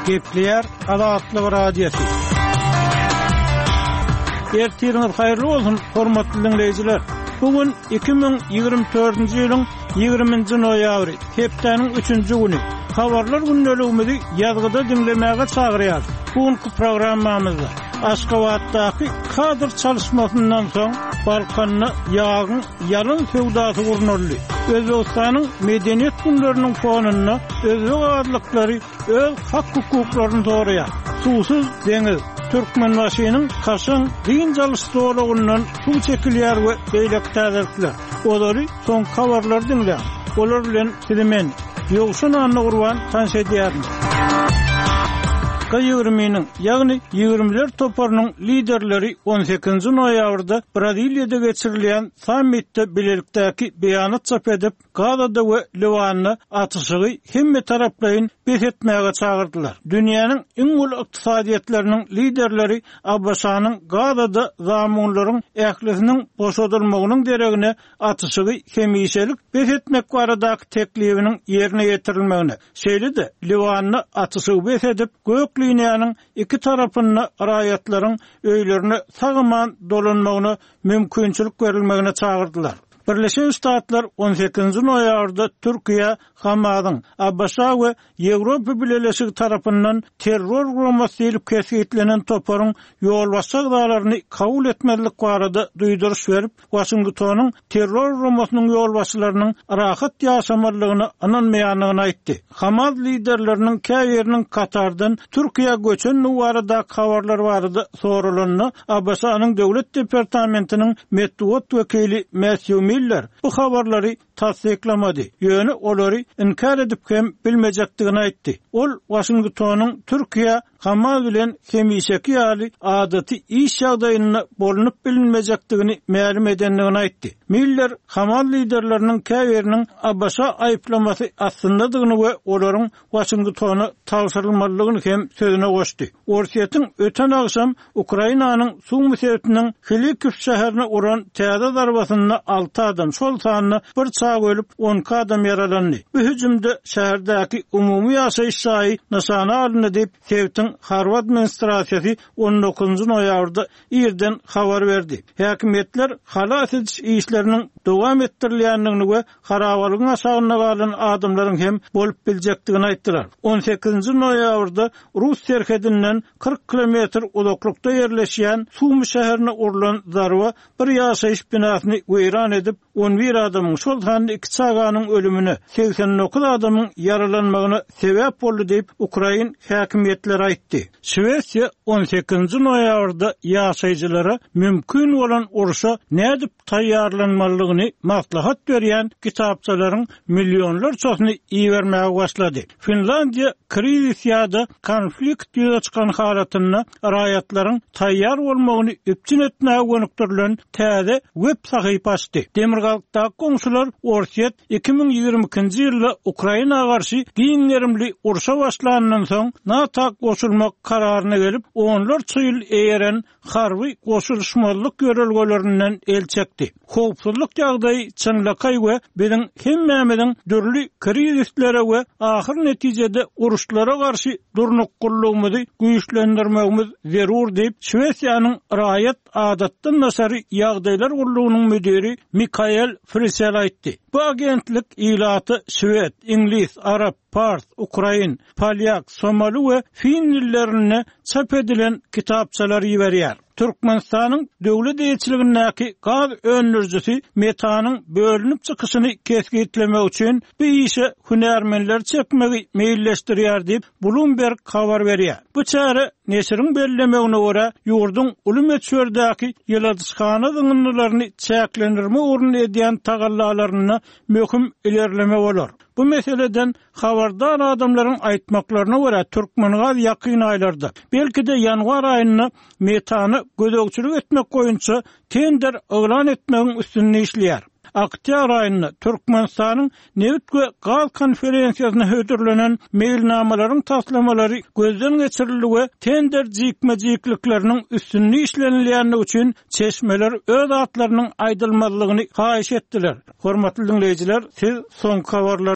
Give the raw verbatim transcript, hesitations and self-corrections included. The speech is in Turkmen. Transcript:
Gepleýär Azatlyk Radiosy. Ertiriňiz haýyrly bolsun, hormatly diňleýjiler. Bu gün iki müň ýigrimi dördünji ýylyň ýigriminji noýabry, hepdäniň üçünji güni. Habarlar gündeligimizi ýazgyda diňlemäge çagyrýarys. Bu günki programmamyzda Aşgabatdaky kadr çalyşmasyndan soň Balkanda ýagyň ýalyn söwdasy gurnaldy. Özbegistanyň medeniýet günleriniň fonunda özbek azlyklary öz hak-hukuklaryny soraýar. Suwsuz deňiz, Türkmenbaşynyň kaşaň dynç alyş zolagyndan suw çekilýär we beýleki täzelikler. Olary soňky habarlary diňläň. Olar bilen sizi men, Ýowşan Annagurban tanyş edýärin. G ýigriminiň, ýagny ýigrimiler toparynyň liderleri on sekizinji noýabrda Braziliýada geçirilýän sammitde bilelikdäki beýanat çap edip, Gazada we Liwanda atyşygy hemme taraplaýyn bes etmäge çagyrdylar. Dünýäniň iň uly ykdysadyýetleriniň liderleri ABŞ-nyň Gazada zamunlaryň ählisiniň boşadylmagynyň deregine atyşygy hemişelik bes etmek baradaky teklibiniň ýerine ýetirilmegine, şeýle-de Liwanda atyşygy bes edip, gök liniýanyň iki tarapynda raýatlaryň öýlerine sag-aman dolanmagyna mümkinçilik berilmegine çagyrdylar. Birleşen Ştatlar on sekizinji noýabrda Türkiýe Hamasyň ABŞ we Ýewropa Bileleşigi tarapyndan terror guramasy diýlip kesgitlenen toparyň ýolbaşçy agzalaryny kabul etmezlik barada duýduryş berip, Waşingtonyň terror guramasynyň ýolbaşçylarynyň rahat ýaşamalydygyna ynanmaýandygyny aýtdy. Hamas liderleriniň käbiriniň Katardan Türkiýä göçendigi baradaky habarlar barada soralanda, ABŞ-nyň Döwlet departamentiniň metbugat wekili Matthew Miller bu habarlary tassyklamady, ýöne olary inkär edip hem bilmejekdigini aýtdy. Ol Waşingtonyň Türkiýä Hamas bilen hemişeki ýaly adaty iş ýagdaýynda bolunyp bilinmejekdigini mälim edendigini aýtdy. Miller Hamas liderleriniň käbiriniň ABŞ aýyplamasy astyndadygyny we olaryň Waşingtona tabşyrylmalydygyny hem sözüne goşdy. Orsýetiň öten agşam Ukrainanyň Sumy sebitiniň Hlikiw şäherine uran täze zarbasynda alty adam, şol sanda bir çaga ölüp, on iki adam ýaralandy. Bu hüjümde şäherdäki umumy ýaşaýyş jaýy nyşana alyndy diýip, sebitiň harby administrasiýasy on dokuzynjy noýabrda irden habar berdi. Häkimiýetler halas ediş işleriniň dowam etdirilýändigini we harabalygyň aşagynda galan adamlaryň hem bolup biljekdigini aýtdylar. On sekizinji noýabrda Rus serhedinden kyrk kilometr uzaklykda ýerleşýän Sumy şäherine urlan zarba bir ýaşaýyş binasyny weýran edip, on bir adamyň, şol sanda iki çaganyň ölümine, segsen dokuz adamyň ýaralanmagyna sebäp boldy diýip, ukrain häkimiýetleri aýtdy. Şwesiýa on sekizinji noýabrda ýaşaýjylara mümkin bolan urşa nädip taýýarlanmalydygyny maslahat berýän kitapçalaryň millionlarçasyny ibermäge başlady. Finlandiýa krizis ýa-da konflikt ýüze çykan halatynda raýatlaryň taýýar bolmagyny üpjün etmäge gönükdirilen täze web sahypa açdy. Demirgazykdaky goňşular Orsýet iki müň ýigrimi ikinji ýylda Ukraina garşy giň gerimli urşa başlandan soň NATO goşulmak kararyna gelip, onlarça ýyl eýeren harby goşulyşmazlyk ýörelgelerinden el çekdi. Howpsuzlyk ýagdaýy çynlakaý we biziň hemmämiziň dürli krizislere we ahyr netijede uruşlara garşy durnuklylygymy güýçlendirmegimiz zerur diýip, Şwesiýanyň raýat adatdan daşary ýagdaýlar gullugynyň müdiri Mikael Frisell aýtdy. Bu agentlik ilaty şwed, iňlis, arap, pars, ukrain, polýak, somali we fin dillerinde çap edilen kitapçalary iberýär. Türkmenistanyň döwlet eýeçiligindäki gaz öndürijisi metanyň bölünip çykyşyny kesgitlemek üçin bu işe hünärmenler çekmegi meýilleşdirýär diýip Bloomberg habar berýär. Bu çäre neşiriň bellemegine görä ýurduň uly möçberdäki ýyladyşhana zyňyndylaryny çäklendirme ugrunda edýän tagallalarynda möhüm ilerleme bolar. Bu meseleden habardar adamlaryň aýtmaklaryna görä Türkmengaz ýakyn aýlarda, belki-de ýanwar aýynda metany gözegçilik etmek boýunça tender yglan etmegiň üstünde işleýär. Oktýabr aýynda Türkmenistanyň nebit we gaz konferensiýasyna hödürlenen meýilnamalaryň taslamalary gözden geçirildi we tender jikme-jiklikleriniň üstünde işlenilýändigi üçin çeşmeler öz atlarynyň aýdylmazlygyny haýyş etdiler. Hormatly dinleýjiler, siz soňky habarlar